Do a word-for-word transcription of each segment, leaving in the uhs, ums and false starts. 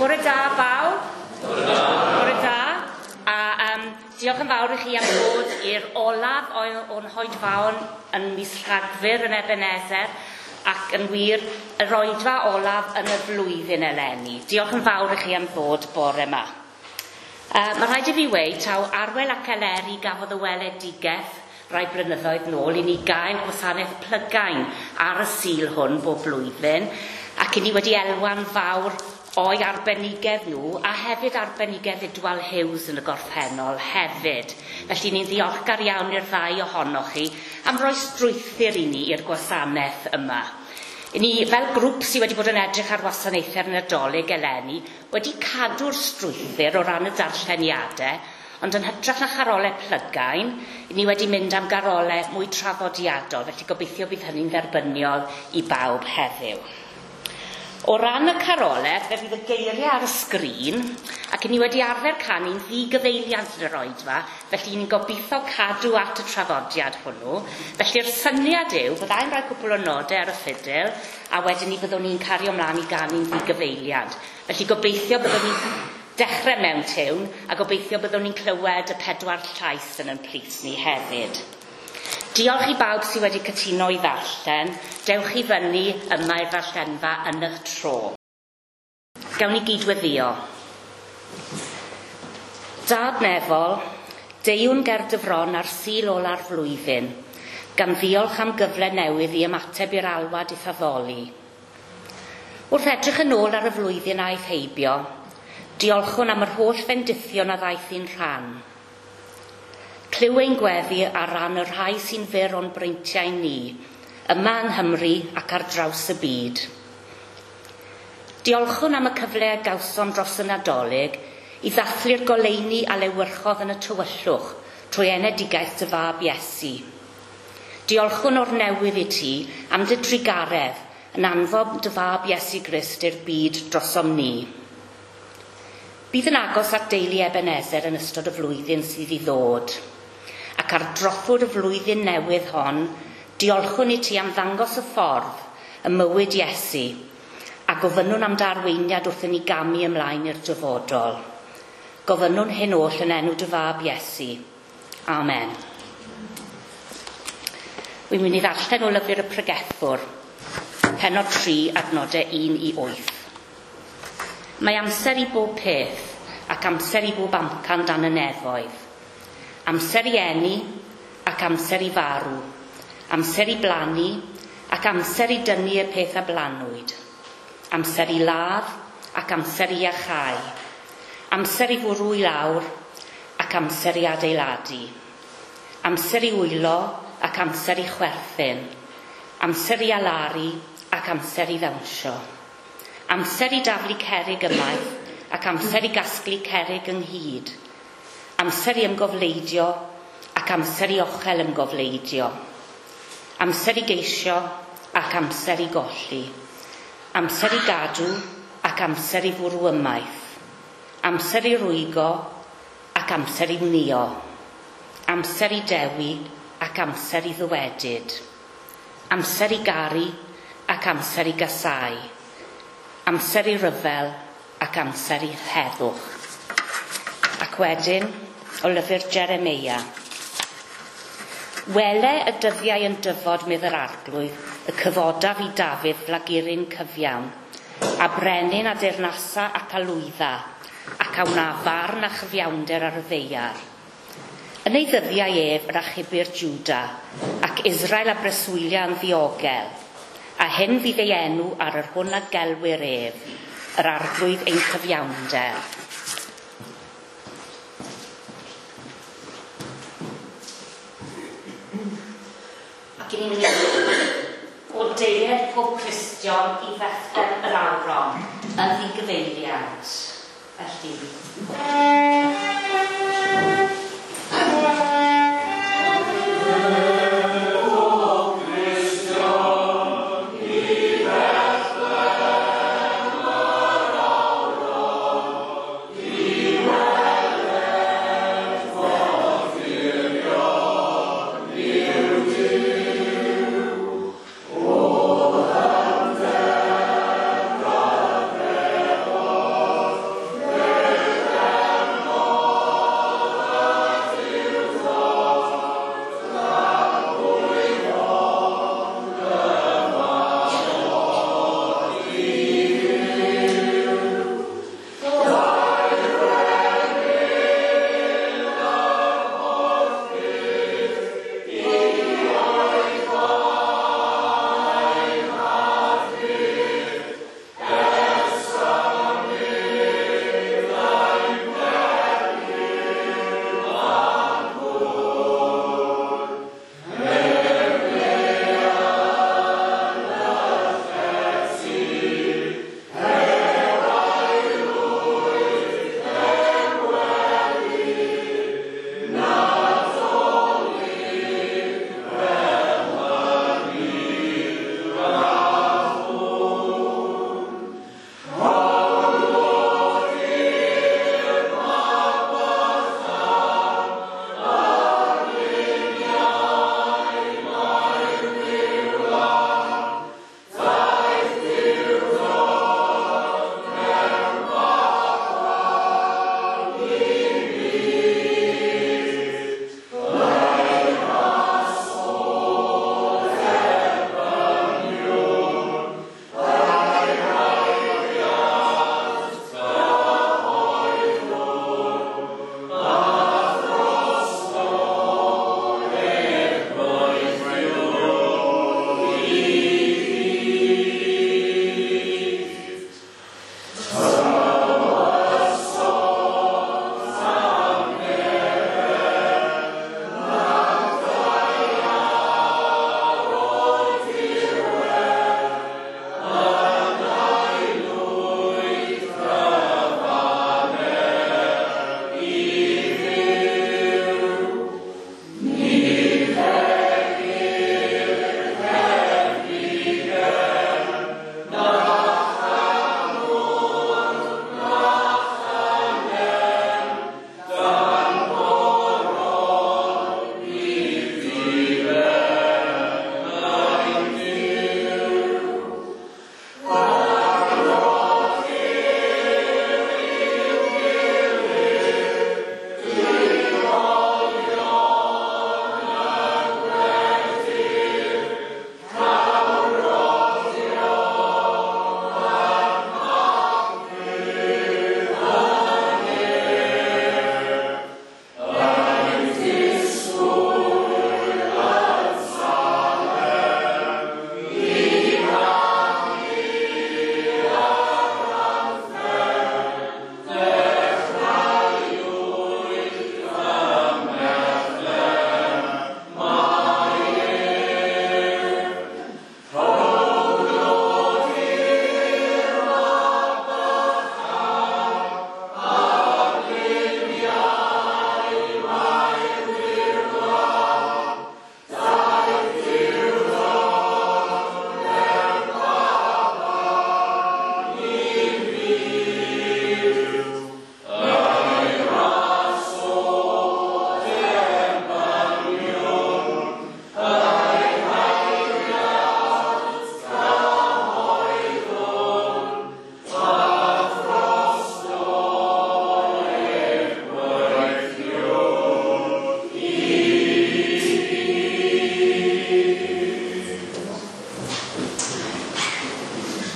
Bore da bawb. Bore da. Bore da. A um, diolch yn fawr i chi am ddod i'r olaf o'n hoedfaon yn mis Rhagfyr yn Ebenezer ac yn wir yr oedfa olaf yn y flwyddyn eleni. Diolch yn fawr i chi am ddod bore yma. Uh, mae rhaid i fi weud taw Arwel ac Eleri gafodd y weledigaeth rai blynyddoedd nôl i ni gael gwasanaeth plygain ar y Sul hwn bob blwyddyn, ac i ni wedi elwa'n fawr o'i arbenigedd nhw a hefyd arbenigedd Idwal Hughes yn y gorffennol hefyd. Felly ni'n ddiolchgar iawn i'r ddau ohonoch chi am roi strwythur i ni i'r gwasanaeth yma. I ni, fel grŵp sydd wedi bod yn edrych ar wasanaethau'r Nadolig eleni, wedi cadw'r strwythur o ran y darlleniadau, ond yn hytrach na charolau plygain, ni wedi mynd am garolau mwy traddodiadol, felly gobeithio bydd hynny'n dderbyniol i bawb heddiw. O ran y carolau, fe fydd y geiriau ar y sgrin, ac ni wedi arfer canu'n ddigyfeiliant yn yr oedfa, felly ni'n gobeithio cadw at y traddodiad hwnnw. Felly'r syniad yw, byddai'n rhoi cwpl o nodau ar y ffidil, a wedyn ni byddwn ni'n cario ymlaen i ganu'n ddigyfeiliant. Felly gobeithio byddwn ni'n dechrau mewn tiwn, a gobeithio byddwn ni'n clywed y pedwar llais yn ein plith ni hefyd. Diolch i bawb sydd wedi cytuno i ddarllen. Dewch i fyny yma i'r ddarllenfa yn eich tro. Gawn ni gydweddio. Dad nefol, deuwn ger dy fron ar Sul ola'r flwyddyn, gan ddiolch am gyfle newydd i ymateb i'r alwad i'th addoli. Wrth edrych yn ôl ar y flwyddyn aeth heibio, diolchwn am yr holl fendithion a ddaeth i'n rhan. Clyw ein gweddi ar ran y rhai sy'n fyr o'n breintiau ni, yma yng Nghymru ac ar draws y byd. Diolchwn am y cyfle a gawsom dros y Nadolig i ddathlu'r goleuni a lewyrchodd yn y tywyllwch trwy enedigaeth dy fab Iesu. Diolchwn o'r newydd i ti am dy drugaredd yn anfon dy fab Iesu Grist i'r byd drosom ni. Bydd yn agos at deulu Ebenezer yn ystod y flwyddyn sydd i ddod, ac ar drothwy'r y flwyddyn newydd hon, diolchwn i ti am ddangos y ffordd, y mywyd Iesu, a gofynnwn am dy arweiniad wrth i ni gamu ymlaen i'r dyfodol. Gofynnwn hyn oll yn enw dy fab Iesu. Amen. Wi'n mynd i ddarllen o lyfr y Pregethwr, pennod tri, adnodau un i wyth. Mae amser i bob peth ac amser i bob amcan dan y nefoedd. Amser i eni ac amser i farw. Amser i blannu ac amser i dynnu y peth a blanwyd. Amser i ladd ac amser i iachau. Amser i fwrw i lawr ac amser i adeiladu. Amser i wylo ac amser i chwerthin. Amser i alaru ac amser i ddawnsio. Amser i daflu cerrig ymaith ac amser i gasglu cerrig ynghyd. Amser i ymgofleidio ac amser i ochel ymgofleidio. Amser i geisio ac amser i golli. Amser i gadw ac amser i fwrw ymaith. Amser i rwygo ac amser i wnïo. Amser i dewi ac amser i ddywedyd. Amser i garu ac amser i gasau. Amser i ryfel ac amser i heddwch. Ac wedyn, o lyfr Jeremeia. Wele y dyddiau yn dyfod, medd yr arglwydd, y cyfodaf i Dafydd flaguryn cyfiawn, a brenin a deyrnasa ac a lwydda, ac a wna farn a chyfiawnder ar y ddaear. Yn ei ddyddiau ef yr achubir Juda, ac Israel a breswylia yn ddiogel, a hyn fydd ei enw ar yr hwn a gelwir ef, yr arglwydd ein cyfiawnder. Ac i ni'n mynd o deied pob Cristion i Fethlem yr Awron yn ddigyfeiliant. Felly. Oh,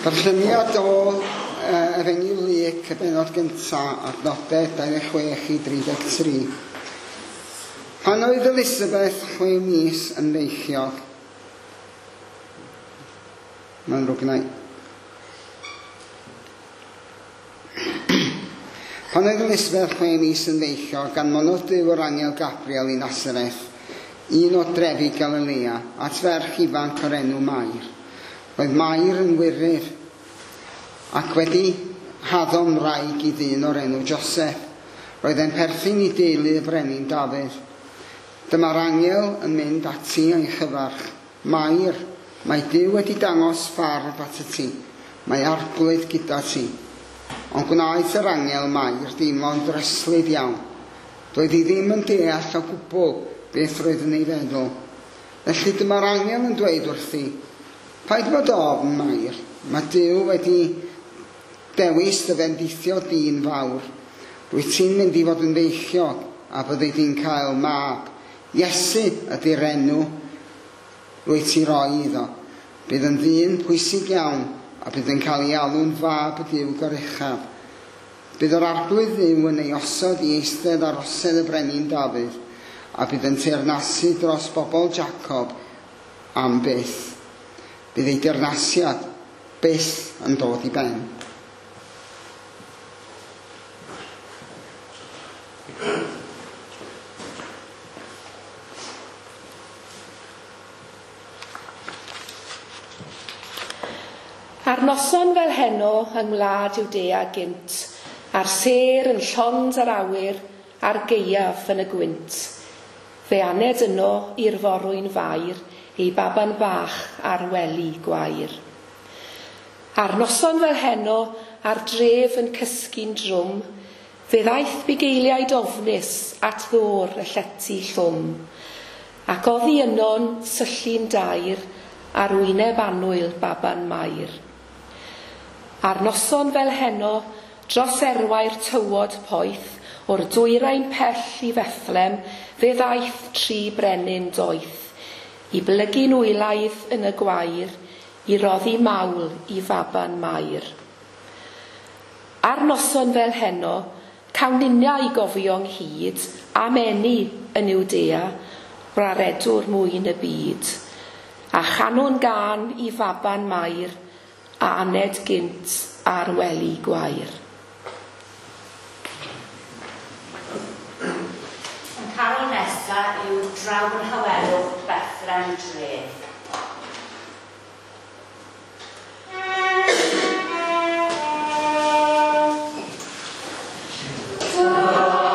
Darlleniad o uh, Efengyl Luc, y bennod gyntaf, adnodau dau ddeg chwech i dri deg tri. Pan oedd Elisabeth chwe mis yn feichiog, mae'n ddrwg gynna i. Pan oedd Elisabeth chwe mis yn feichiog, anfonodd Duw yr angel Gabriel i Nasareth, un o drefi Galilea, at ferch ifanc o'r enw Mair. Roedd Mair yn wyryr ac wedi haddo'n wraig i ddyn o'r enw Joseph. Roedd e'n perthyn i deulu y brenin Dafydd. Dyma'r angel yn mynd ati a'i chyfarch. Mair, mae Duw wedi dangos ffarf at y ti. Mae Arglwydd gyda ti. Ond gwnaeth yr angel Mair deimlo'n ddryslyd iawn. Doedd hi ddim yn deall o gwbl beth roedd yn ei feddwl. Felly dyma'r angel yn dweud wrthi, paid bod ofn, Mair, mae Duw wedi dewis dy fendithio dyn fawr. Rwyt ti'n mynd i fod yn feichiog a byddi di'n cael mab. Iesu ydy'r enw rwyt ti roi iddo. Bydd yn ddyn pwysig iawn a bydd yn cael ei alw'n fab y Duw goruchaf. Bydd yr Arglwydd Dduw yn ei osod i eistedd ar osedd y brenin Dafydd a bydd yn teyrnasu dros bobl Jacob am byth. Bydd ei deyrnasiad byth yn dod i ben. Ar noson fel heno yng ngwlad Iwdea gynt, a'r sêr yn llond yr awyr, a'r gaeaf yn y gwynt. Fe aned yno i'r forwyn fair, ei baban bach ar wely gwair. Ar noson fel heno, a'r dref yn cysgu'n drwm, fe ddaeth bugeiliaid ofnus at ddôr y llety llwm, ac oddi yno'n syllu'n dair ar wyneb annwyl baban Mair. Ar noson fel heno, dros erwau'r tywod poeth, o'r dwyrain pell i Fethlem, fe ddaeth tri brenin doeth, i blygu'n wylaidd yn y gwair, i roddi mawl i faban Mair. Ar noson fel heno, cawn ninnau i gofio ynghyd am eni yn Iwdea, braredwr mwyn y byd, a chanwn gân i faban Mair, a aned gynt ar wely gwair. Yn carol nesa yw Draw yn Hawelwch Bethlehem Dref. Lord.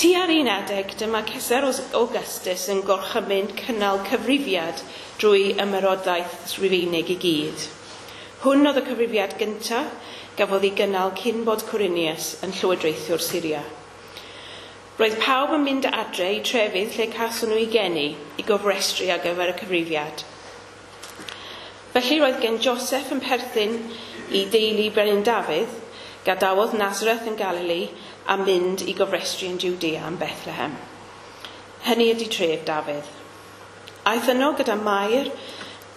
Tua'r un adeg, dyma Cesar Augustus yn gorchymyn cynnal cyfrifiad drwy ymerodraeth Rufeinig i gyd. Hwn oedd y cyfrifiad gyntaf gafodd ei gynnal cyn bod Quirinius yn llywodraethiwr Syria. Roedd pawb yn mynd adre i trefydd lle cawson nhw eu geni i gofrestru ar gyfer y cyfrifiad. Felly roedd gen Joseph yn perthyn i deulu Brenin Dafydd, gadawodd Nazareth yn Galilei a mynd i gofrestru yn Judea yn Bethlehem. Hynny ydy tref Dafydd. Aeth yno gyda Mair,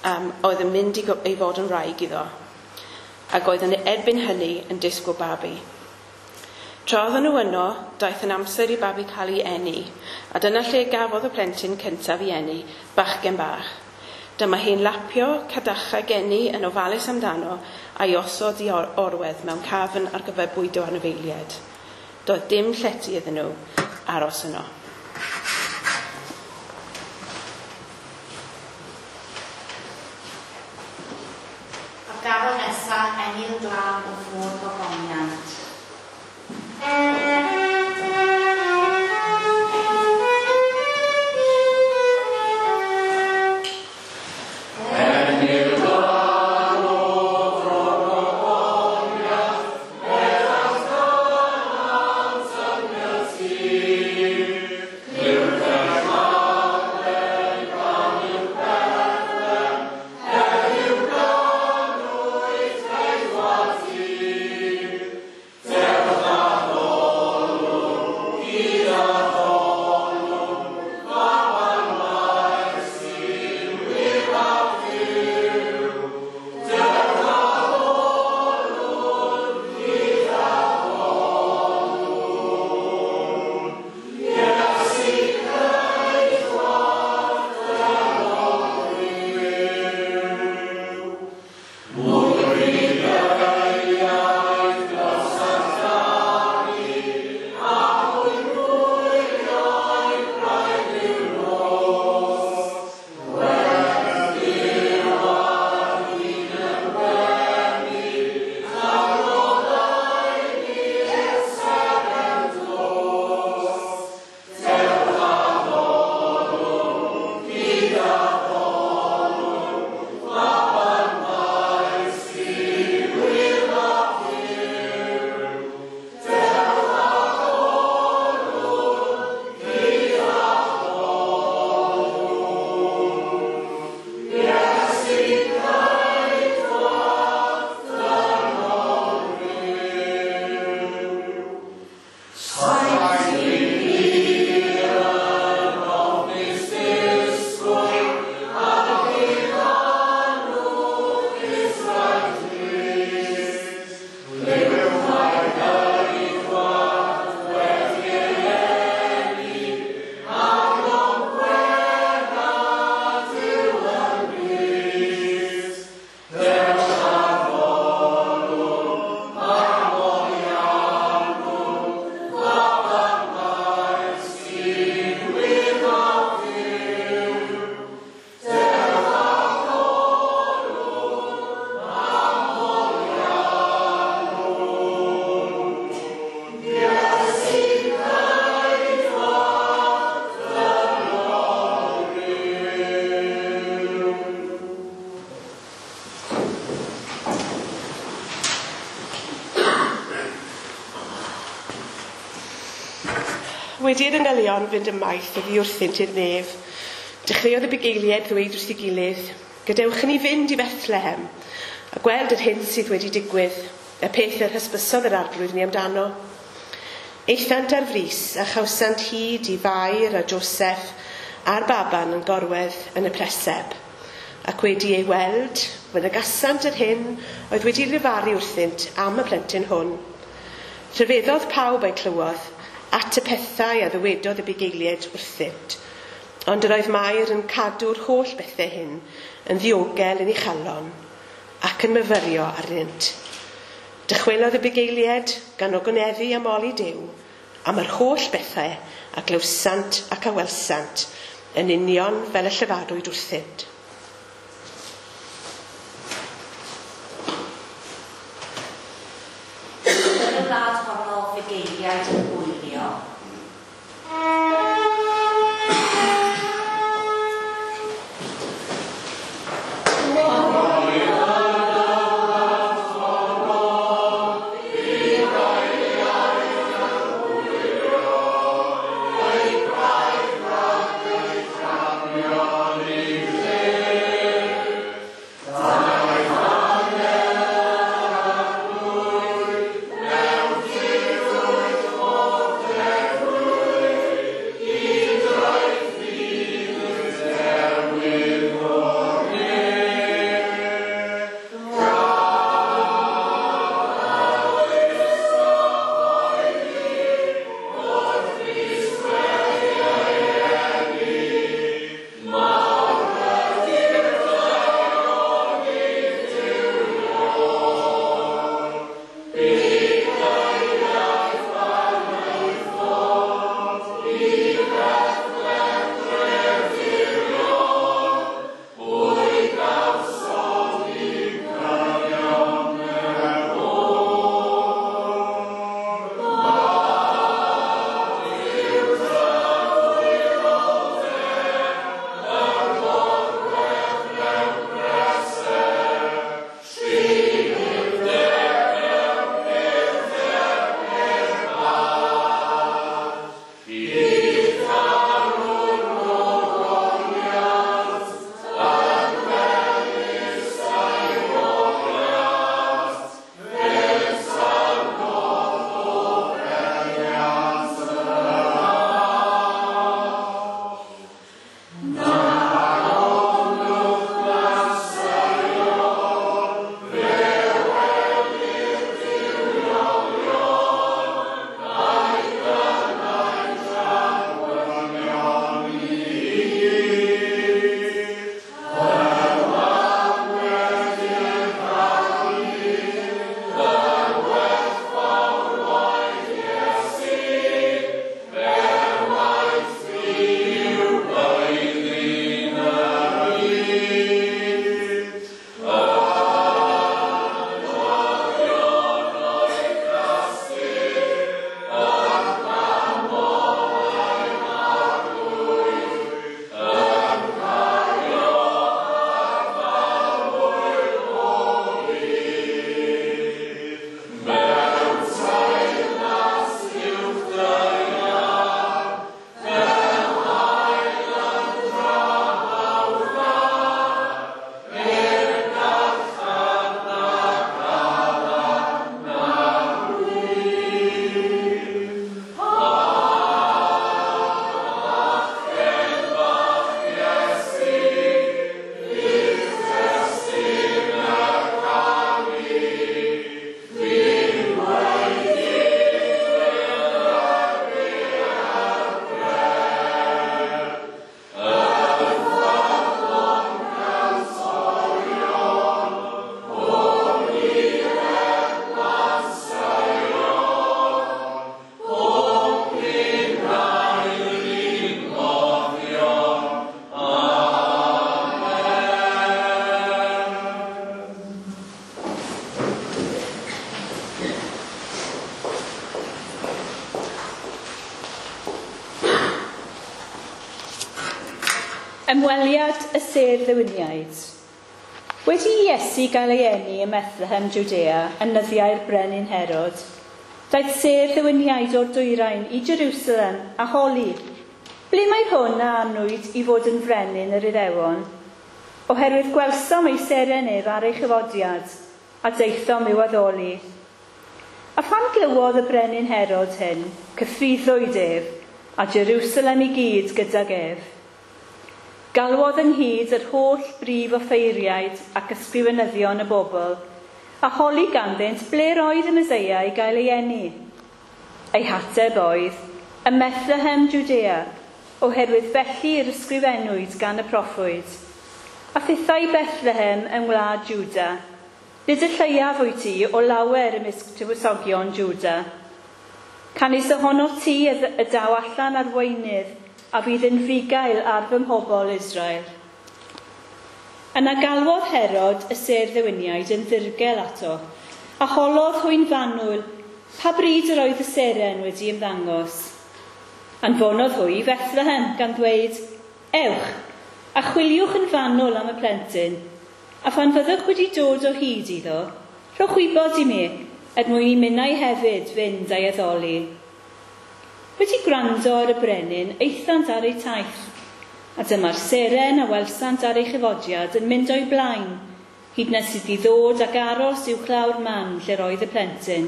um, oedd yn mynd i, i fod yn wraig iddo, ac oedd yn erbyn hynny yn disgwyl babi. Tra oedden nhw yno, daeth yn amser i babi cael ei eni, a dyna lle gafodd y plentyn cyntaf ei eni, bachgen bach. Dyma hi'n lapio cadachau geni yn ofalus amdano a'i osod i or orwedd mewn cafn ar gyfer bwydo anifeiliaid. Doedd dim llety iddyn nhw aros yno. A'r garol nesaf, Enil Glân o Fôr Gogoniant. Wedi'r angylion fynd ymaith oddi wrthynt i'r nef, dechreuodd y bugeiliaid ddweud wrth ei gilydd, gadewch i ni fynd i Bethlehem a gweld yr hyn sydd wedi digwydd, y peth yr hysbysodd yr arglwydd ni amdano. Aethant ar frys a chawsant hyd i Fair a Joseph a'r baban yn gorwedd yn y preseb, ac wedi ei weld, mynegasant yr hyn oedd wedi lefaru wrthynt am y plentyn hwn. Rhyfeddodd pawb a'i clywodd at y pethau a ddywedodd y bugeiliaid wrthynt, ond yr oedd Mair yn cadw'r holl bethau hyn yn ddiogel yn ei chalon ac yn myfyrio arnynt. Dychwelodd y bugeiliaid gan ogoneddu a moli Duw am yr holl bethau a glywsant ac a welsant yn union fel y llefarwyd wrthynt. Yn y wlad honno fugeiliaid yn gwylio. Ymweliad y sêr ddewiniaid. Wedi i Iesu gael ei eni ym Methlehem, Judea, yn nyddiau'r brenin Herod, daeth sêr ddewiniaid o'r dwyrain i Jerusalem a holi, ble mae hwn a anwyd i fod yn frenin yr Iddewon? Oherwydd gwelsom ei seren ef ar ei chyfodiad, a daethom i'w addoli. A phan glywodd y brenin Herod hyn, cythruddwyd ef, a Jerusalem i gyd gydag ef. Galwodd ynghyd yr holl brif offeiriaid ac ysgrifenyddion y bobl, a holi ganddynt ble roedd y Meseia i gael ei eni. Ei hateb oedd, ym Methlehem, Judea, oherwydd felly yr ysgrifennwyd gan y proffwyd. A thithau Bethlehem yng ngwlad Juda, nid y lleiaf wyt ti o lawer ymysg tywysogion Juda. Canys ohono ti y daw allan arweinydd a fydd yn fugail ar fy mhobl Israel. Yna galwodd Herod y sêr ddewiniaid yn ddirgel ato, a holodd hwy'n fanwl pa bryd yr oedd y seren wedi ymddangos. Anfonodd hwy i Bethlehem gan ddweud, ewch, a chwiliwch yn fanwl am y plentyn, a phan fyddwch wedi dod o hyd iddo, rhowch wybod i mi, er mwyn i minnau hefyd fynd a'i addoli. Wedi gwrando ar y brenin, aethant ar eu taith, a dyma'r seren a welsant ar ei chyfodiad yn mynd o'i blaen, hyd nes iddi ddod ac aros i'w clawr man lle'r oedd y plentyn.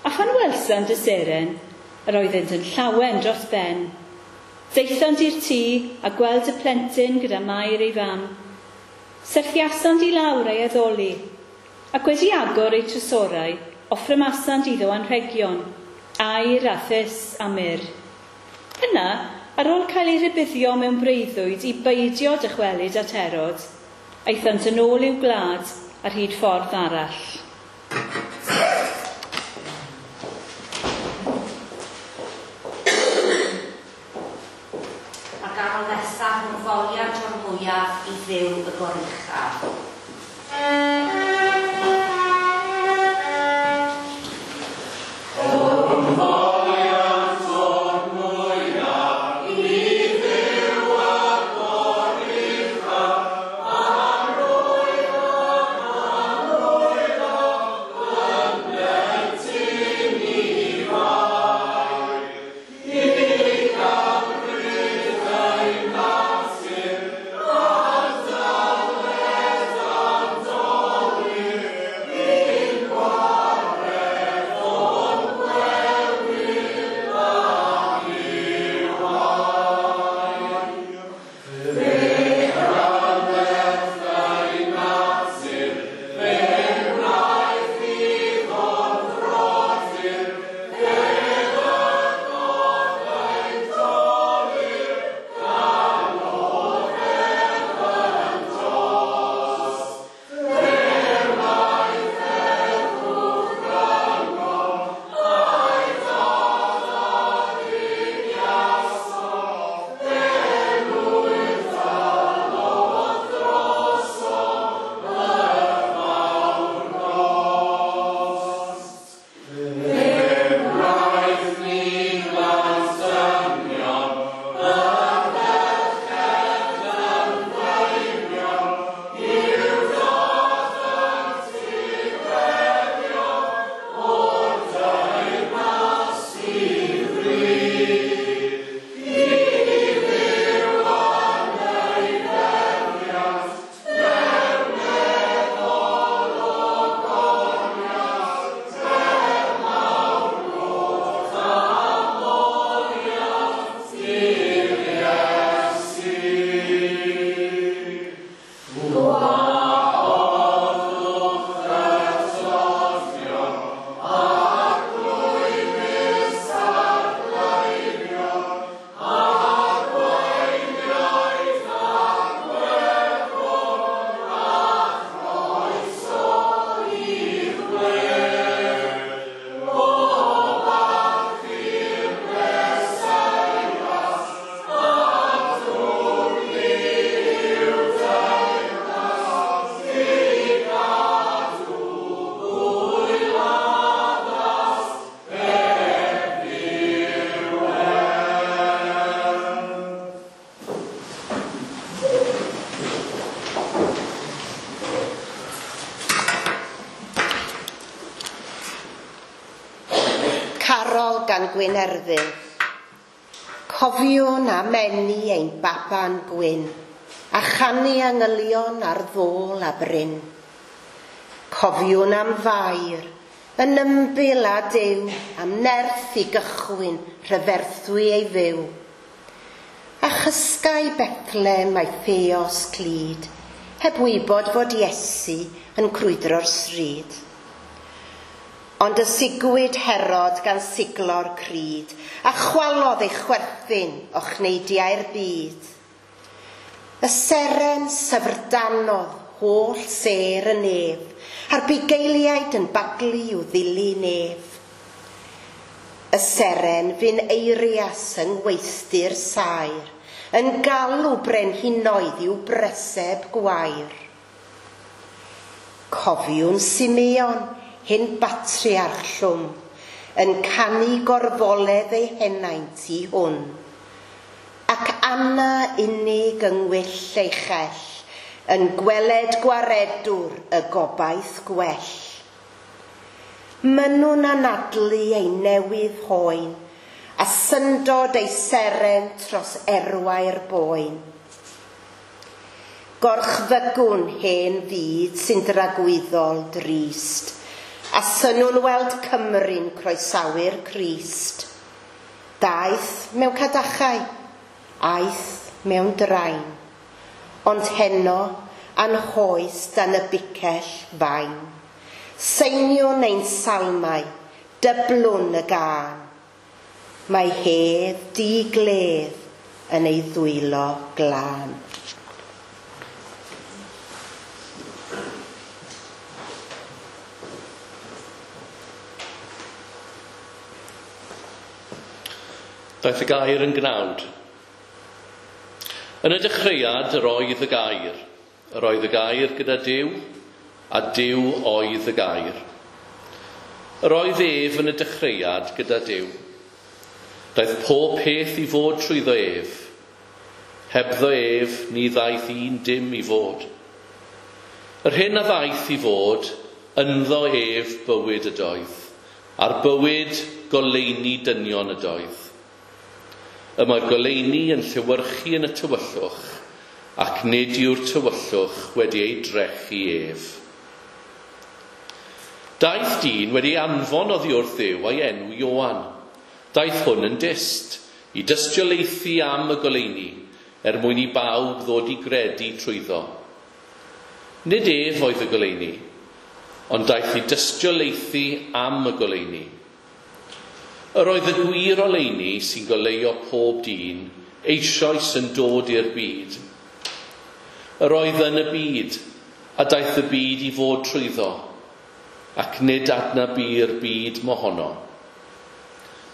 A phan welsant y seren, yr oeddynt yn llawen dros ben. Daethant i'r tŷ a gweld y plentyn gyda Mair ei fam. Serthiasant i lawr ei addoli, ac wedi agor eu trysorau, offrymasant iddo anrhegion, aur a thus a myrrh. Yna, ar ôl cael ei rhybuddio mewn breuddwyd i beidio dychwelyd at Herod, aethant yn ôl i'w gwlad ar hyd ffordd arall. Mae'r garol nesaf yn foliant o'r mwyaf i Dduw y goruchaf. Natur, Gwynerfil. Cofiwn am eni ein baban gwyn, a chanu angylion ar ddôl a bryn. Cofiwn am Fair, yn ymbil a Duw, am nerth i gychwyn rhyferthwy ei fyw. A chysgai Bethlem a'i theos clyd, heb wybod fod Iesu yn crwydro'r stryd. Ond y sigwyd Herod gan siglo'r cryd, a chwalodd ei chwerthin o chneidiau'r byd. Y seren syfrdanodd holl sêr y nef, a'r bugeiliaid yn baglu i'w ddilyn ef. Y seren fu'n eirias yng ngweithdy'r saer, yn galw brenhinoedd i'w breseb gwair. Cofiwn Simeon, hyn batriarch llwm, yn canu gorfoledd ei henaint i hwn. Ac Anna unig yng ngwyll ei chell, yn gweled gwaredwr y gobaith gwell. Mynnwn anadlu ei newydd hoen, a syndod ei seren tros erwau'r boen. Gorchfygwn hen fyd sy'n dragwyddol drist, a synnwn weld Cymru'n croesawu'r Crist. Daeth mewn cadachau, aeth mewn drain, ond heno anhoes dan y bicell fain. Seiniwn ein salmau, dyblwn y gân. Mae hedd digledd yn ei ddwylo glân. Daeth y gair yn gnawd. Yn y dechreuad yr oedd y gair. Yr oedd y gair gyda Duw, a Duw oedd y gair. Yr oedd ef yn y dechreuad gyda Duw. Daeth pob peth i fod trwyddo ef. Hebddo ef, ni ddaeth un dim i fod. Yr hyn a ddaeth i fod, ynddo ef bywyd ydoedd, a'r bywyd goleuni dynion ydoedd. Y mae'r goleuni yn llewyrchu yn y tywyllwch, ac nid yw'r tywyllwch wedi ei drechu ef. Daeth dyn wedi anfon oddi wrth Dduw a'i enw Ioan. Daeth hwn yn dyst, i dystiolaethu am y goleuni, er mwyn i bawb ddod i gredu trwyddo. Nid ef oedd y goleuni, ond daeth i dystiolaethu am y goleuni. Yr oedd y gwir oleuni sy'n goleuo pob dyn eisoes yn dod i'r byd. Yr oedd yn y byd, a daeth y byd i fod trwyddo, ac nid adnabu'r byd mohono.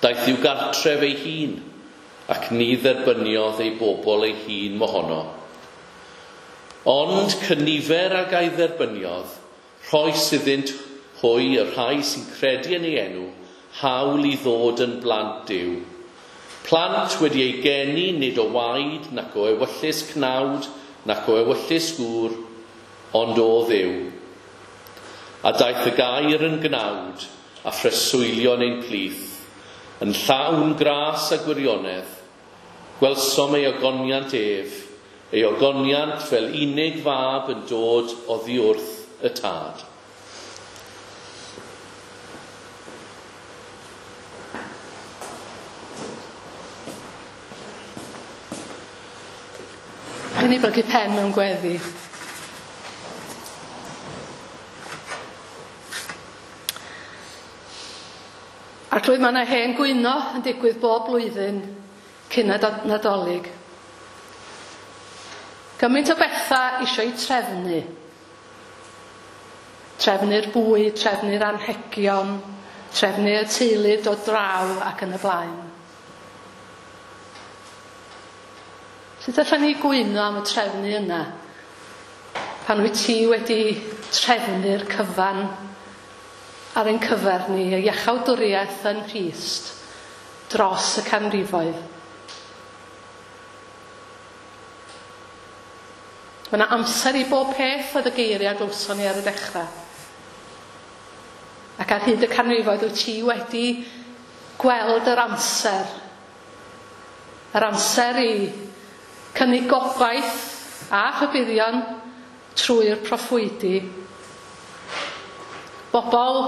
Daeth i'w gartref ei hun, ac ni dderbyniodd ei bobl ei hun mohono. Ond cynifer ag a'i dderbyniodd, rhoes iddynt hwy y rhai sy'n credu yn ei enw, hawl i ddod yn blant Duw. Plant wedi ei geni nid o waed, nac o ewyllys cnawd, nac o ewyllys gŵr, ond o Dduw. A daeth y gair yn gnawd, a phreswylio yn ein plith, yn llawn gras a gwirionedd. Gwelsom ei ogoniant ef, ei ogoniant fel unig fab yn dod oddi wrth y tad. Rhaid ni blygu pen mewn gweddi. Arglwydd, mae yna hen gwyno yn digwydd bob blwyddyn cyn y Nadolig. Gymaint o bethau eisiau trefnu. Trefnu'r bwyd, trefnu'r anrhegion, trefnu'r teulu dod draw ac yn y blaen. Sut allan ni gwyno am y trefnu yna pan wyt ti wedi trefnu'r cyfan ar ein cyfer ni, y iachawdwriaeth yn Nghrist dros y canrifoedd. Mae yna amser i bob peth oedd y geiriau glywson ni ar y dechrau. Ac ar hyd y canrifoedd wyt ti wedi gweld yr amser. Yr amser i cynnig gobaith a rhybuddion trwy'r proffwydi. Bobl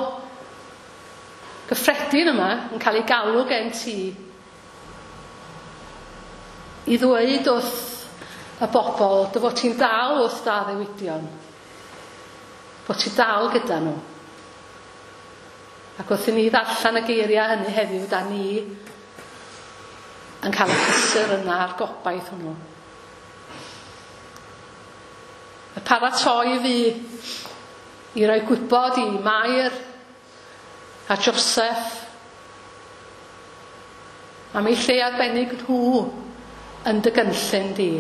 gyffredin yma yn cael ei galw gen ti i ddweud wrth y bobl dy fod ti'n dal wrth dy addewidion, bod ti dal gyda nhw. Ac wrth i ni ddarllen y geiriau hynny heddiw, da ni yn cael y cysur yna a'r gobaith hwnnw. Y paratoi fi i roi gwybod i Mair a Joseph am eu lle arbennig nhw yn dy gynllun di.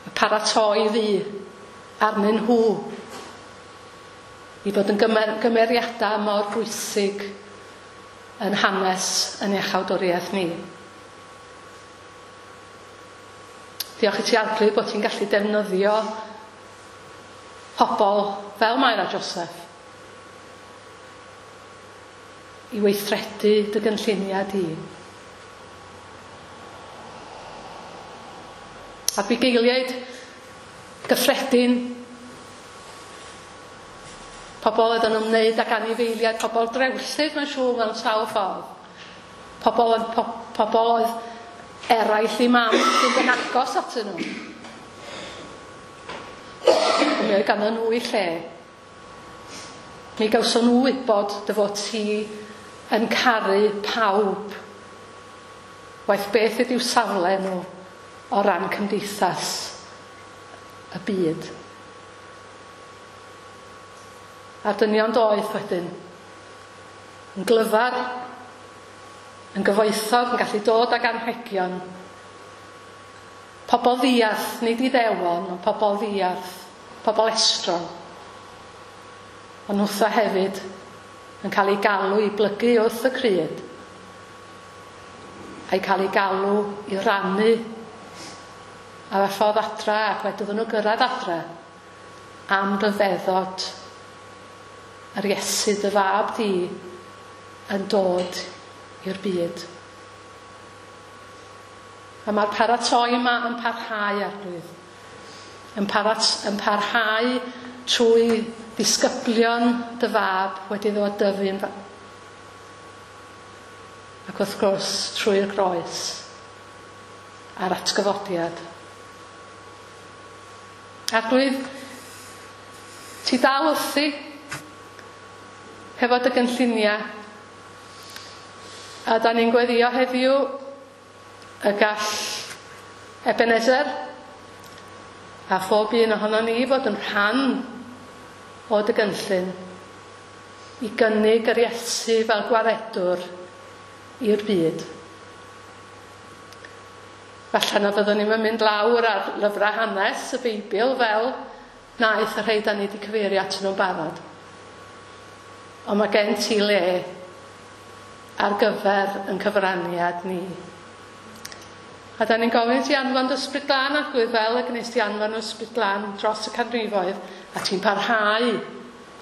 Y paratoi fi arnyn nhw i fod yn gymer, gymeriadau mor bwysig yn hanes yn iachawdwriaeth ni. Diolch i ti Arglwydd bod ti'n gallu defnyddio pobl fel Mair a Joseph i weithredu dy gynlluniau di. A bugeiliaid gyffredin, pobl oedd yn ymwneud ag anifeiliaid, pobl drewllyd mae'n siŵr mewn sawl ffordd. Pobl, po, pobl oedd eraill i mam sy'n yn agos atyn nhw. Mi oedd ganddyn nhw i lle. Mi gawson nhw wybod dy fod ti yn caru pawb. Waeth beth ydy'w safle nhw o ran cymdeithas y byd. A dynion doeth wedyn, yn glyfar, yn gyfoethog, yn gallu dod ag anrhegion. Pobl ddiarth, nid Iddewon, ond pobl ddiarth, pobl estron. Ond nhwtha hefyd yn cael ei galw i blygu wrth y cryd, a'i cael ei galw i rannu ar y ffordd adra, ac wedyn nhw gyrraedd adra am ryfeddod yr Iesu dy fab di yn dod i'r byd. A mae'r paratoi yma yn parhau, Arglwydd. Yn, parat, yn parhau trwy ddisgyblion dy fab wedi ddod dyfu'n fa- ac wrth gwrs trwy'r groes a'r atgyfodiad. Arglwydd, ti dal wrthi hefo dy gynlluniau, a da ni'n gweddio heddiw y gall Ebenezer a phob un ohono ni fod yn rhan o dy gynllun i gynnig yr Iesu fel gwaredwr i'r byd. Falle na fyddwn ni'n mynd lawr ar lyfrau hanes y Beibl fel naeth y rhai da ni wedi cyfeirio atyn nhw'n barod. Ond mae gen ti le ar gyfer yn cyfraniad ni. A da ni'n gofyn i ti anfon dy Ysbryd Glân, Arglwydd, fel y gwnes ti anfon Ysbryd Glân dros y canrifoedd, a ti'n parhau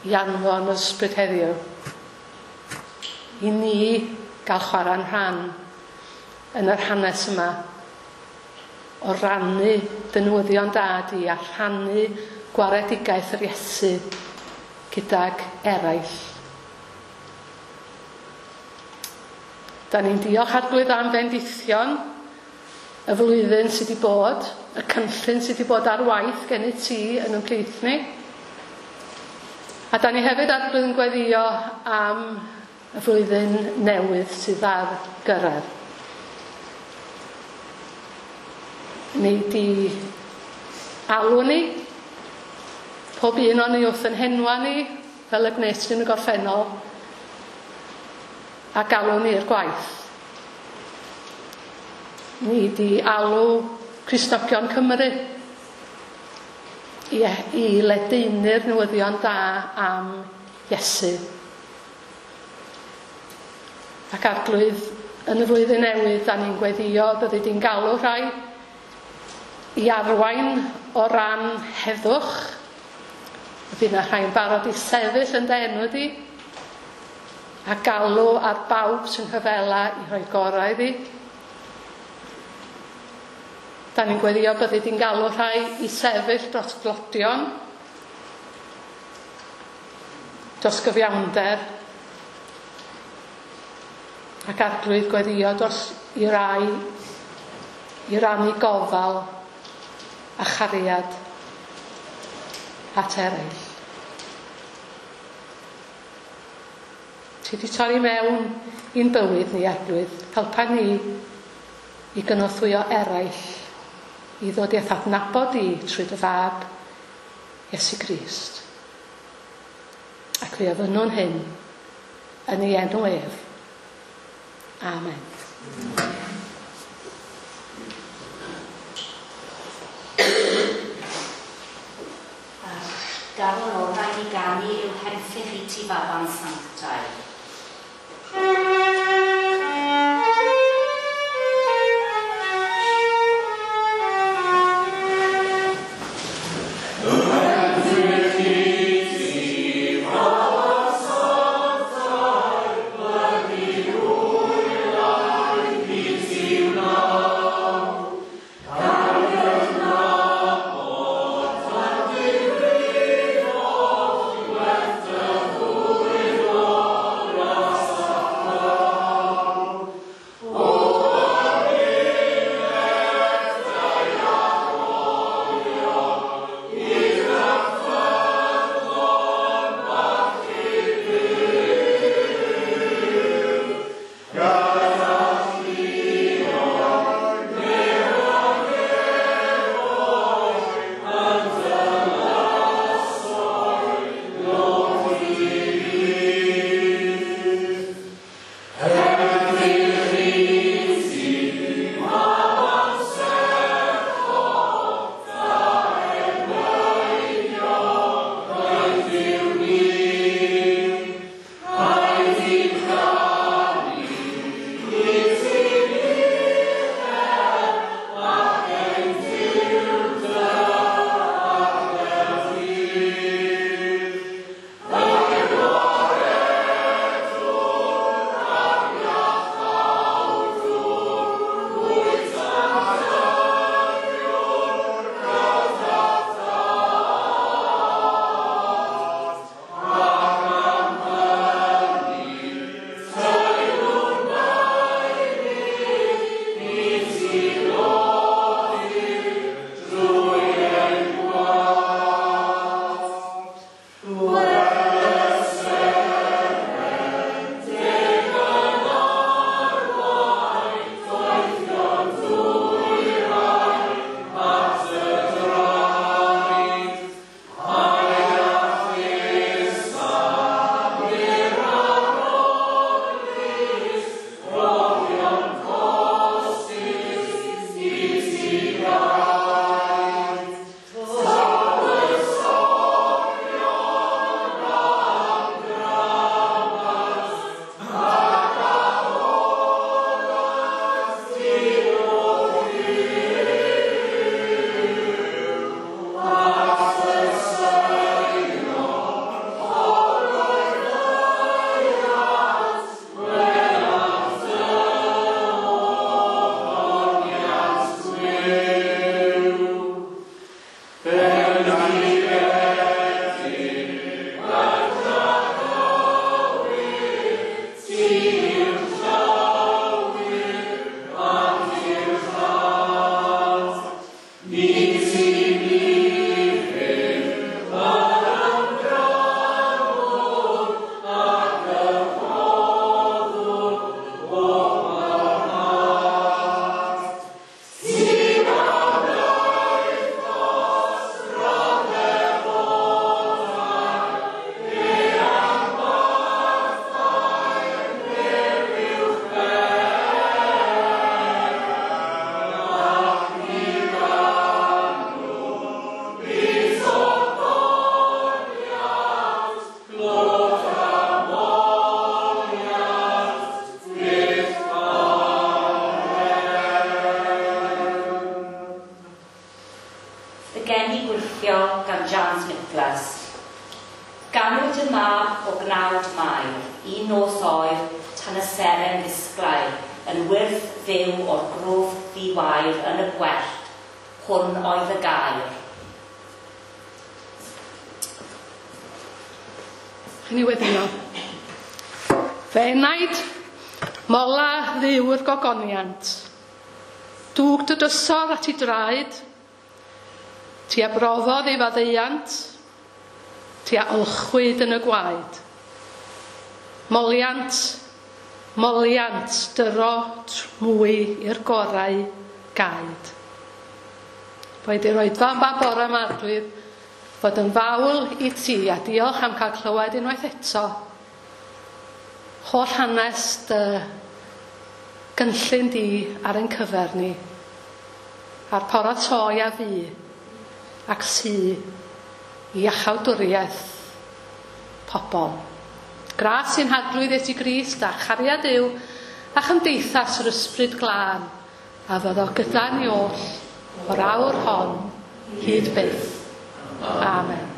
i anfon Ysbryd heddiw. I ni gael chwarae'n rhan yn yr hanes yma o rannu dy newyddion da di a rhannu gwaredigaeth yr Iesu gydag eraill. Da ni'n diolch Arglwydd am fendithion y flwyddyn sydd wedi bod, y cynllun sydd wedi bod ar waith gennyt ti yn ymhlith ni. A da ni hefyd Arglwydd yn gweddio am y flwyddyn newydd sydd ar gyrraedd. Ni di alw ni, pob un o'n ni wrth yn henwa ni, fel y gwnes ni yn y gorffennol, a galw ni i'r gwaith. Ni di alw Cristnogion Cymru i, i ledaenu'r newyddion da am Iesu. Ac Arglwydd, yn y flwyddyn newydd, da ni'n gweddio byddi di'n galw rhai i arwain o ran heddwch. Bydd yna rhai'n barod i sefyll yn dy enw di, A galw ar bawb sy'n rhyfela i rhoi gorau iddi. Da ni'n gweddio byddi di'n galw rhai i sefyll dros glodion, dros gyfiawnder, ac Arglwydd gweddio dros i rai i rannu gofal a chariad at eraill. Ti di torri mewn i'n bywyd ni, Arglwydd, helpa ni i gynorthwyo eraill i ddod i'th adnabod di trwy dy fab, Iesu Grist. Ac fe ofynnwn hyn yn ei enw ef. Amen. Garol orau i ganu yw henffych i ti faban sanctaidd. Gan Jans Nicholas. Ganwyd y mab o gnawd Mair, un Un nos oer, tan y seren ddisglair, yn wyrth fyw o'r grwf ddiwair yn y gwellt, hwn oedd y gair. Chi'n ei weddïo. Fe enaid, mola ddiw'r gogoniant. Dwg dy dysor at ei draed, ti a brofodd ei faddeuant, ti a olchwyd yn y gwaed. Moliant, moliant, dyro mwy i'r gorau gaed. Boed i'r oedfa yma bore yma, Arglwydd, fod yn fawl i ti a diolch am cael clywed unwaith eto. Holl hanes dy gynllun di ar ein cyfer ni, a'r paratoi a fi, ac sy i iachawdwriaeth pobl. Gras i'n Harglwydd Iesu Grist a chariad Duw a chymdeithas yr Ysbryd Glân a fyddo gyda ni oll o'r awr hon hyd byth. Amen.